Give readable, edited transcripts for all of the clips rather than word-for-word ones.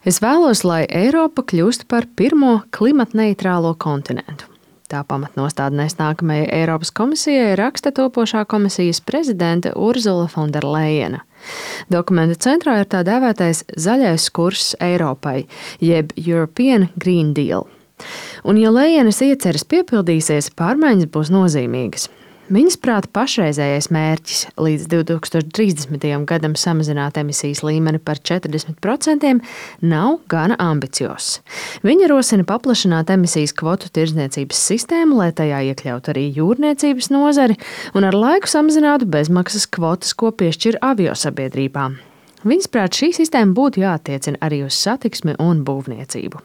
Es vēlos, lai Eiropa kļūst par pirmo klimatneitrālo kontinentu. Tā pamatnostādnēs nākamajai Eiropas komisijai raksta topošā komisijas prezidente Urzula Fonderlejena. Dokumenta centrā ir tā dēvētais zaļais kurs Eiropai, jeb European Green Deal. Un, ja Lejenas ieceres piepildīsies, pārmaiņas būs nozīmīgas. Viņas prāta pašreizējais mērķis līdz 2030. gadam samazināt emisijas līmeni par 40% nav gana ambiciozs. Viņa rosina paplašināt emisijas kvotu tirdzniecības sistēmu, lai tajā iekļautu arī jūrniecības nozari un ar laiku samazinātu bezmaksas kvotas, ko piešķir aviosabiedrībām. Viņas prāt šī sistēma būtu jāattiecina arī uz satiksmi un būvniecību.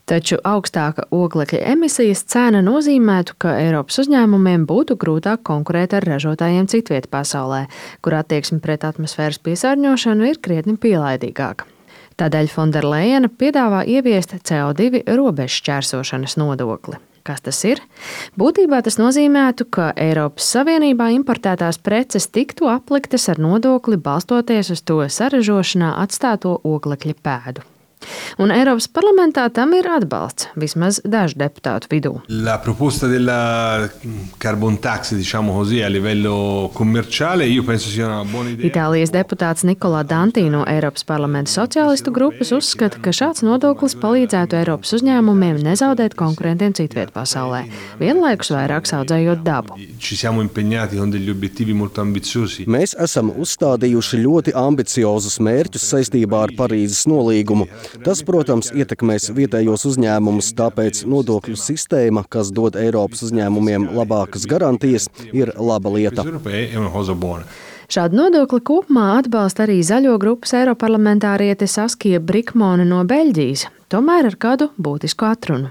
Taču augstāka oglekļa emisijas cena nozīmētu, ka Eiropas uzņēmumiem būtu grūtāk konkurēt ar ražotājiem citviet pasaulē, kur attieksme pret atmosfēras piesārņošanu ir krietni pielaidīgāka. Tādēļ Fonderlejena piedāvā ieviest CO2 robežšķērsošanas nodokli. Kas tas ir? Būtībā tas nozīmētu, ka Eiropas Savienībā importētās preces tiktu apliktas ar nodokli balstoties uz to saražošanā atstāto oglekļa pēdu. Un Eiropas parlamentā tam ir atbalsts, vismaz dažu deputātu vidū. La proposta della carbon tax, diciamo così, a livello commerciale, io penso sia una buona idea. Itālijas deputāts Nikolā Danti no Eiropas parlamenta sociālistu grupas uzskata, ka šāds nodoklis palīdzētu Eiropas uzņēmumiem nezaudēt konkurentiem citviet pasaulē, vienlaikus vairāk audzējot dabu. Ci siamo impegnati con degli obiettivi molto ambiziosi. Mēs esam uzstādījuši ļoti ambiciozus mērķus saistībā ar Parīzes nolīgumu. Tas, protams, ietekmēs vietējos uzņēmumus, tāpēc nodokļu sistēma, kas dod Eiropas uzņēmumiem labākas garantijas, ir laba lieta. Šādu nodokli kopumā atbalsta arī zaļo grupas eiroparlamentāriete Saskija Brikmone no Beļģijas, tomēr ar kādu būtisku atrunu.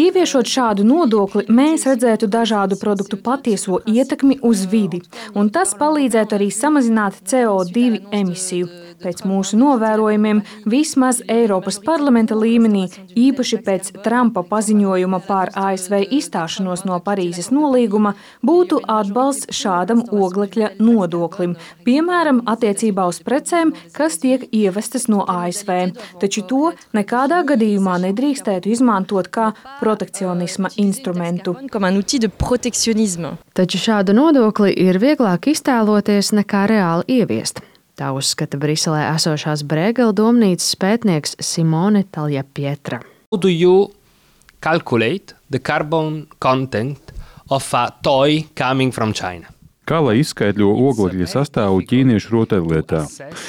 Ieviešot šādu nodokli, mēs redzētu dažādu produktu patieso ietekmi uz vidi, un tas palīdzētu arī samazināt CO2 emisiju. Pēc mūsu novērojumiem, vismaz Eiropas parlamenta līmenī, īpaši pēc Trumpa paziņojuma par ASV izstāšanos no Parīzes nolīguma, būtu atbalsts šādam oglekļa nodoklim, piemēram, attiecībā uz precēm, kas tiek ievestas no ASV, taču to nekādā gadījumā nedrīkstētu izmantot kā protekcionisma instrumentu. Taču šādu nodokli ir vieglāk iztēloties nekā reāli ieviest. Tā uzskata Briselē esošās Brēgela domnīcas pētnieks Simone Taljapietra. How do you calculate the carbon content of a toy coming from China? Kā lai izskaidro oglekļa sastāvu ķīniešu rotaļlietā?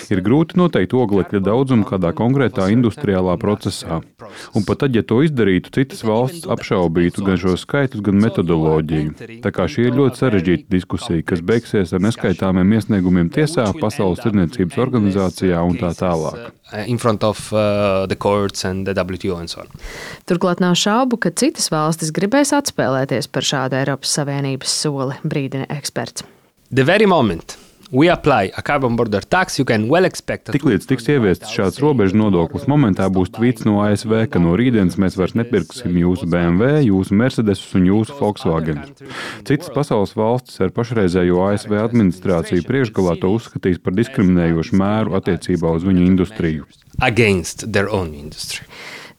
Ir grūti noteikt oglekļa daudzumu kādā konkrētā industriālā procesā. Un pat tad, ja to izdarītu, citas valstis apšaubītu gan šos skaitļus, gan metodoloģiju. Tā kā šī ir ļoti sarežģīta diskusija, kas beigsies ar neskaitāmiem iesniegumiem tiesā, Pasaules tirdzniecības organizācijā un tā tālāk. Turklāt nav šaubu, ka citas valstis gribēs atspēlēties par šādu Eiropas Savienības soli, brīdina eksperts. The very moment we apply a carbon border tax, you can well expect that. Tiklīdz tiks ieviests šāds robežu nodoklis, momentā būs tvīts no ASV, ka no rītdienas mēs vairs nepirksim jūsu BMW, jūsu Mercedesus un jūsu Volkswagen. Citas pasaules valstis ar pašreizējo ASV administrāciju priekšgalā to uzskatīs par diskriminējošu mēru attiecībā uz viņu industriju. Against their own industry.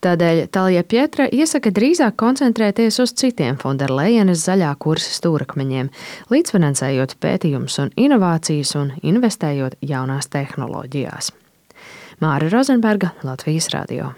Tādēļ Taljapietra iesaka drīzāk koncentrēties uz citiem Fonderlejenas zaļā kursa stūrakmeņiem, līdzfinansējot pētījumus un inovācijas un investējot jaunās tehnoloģijās. Māra Rozenberga, Latvijas radio.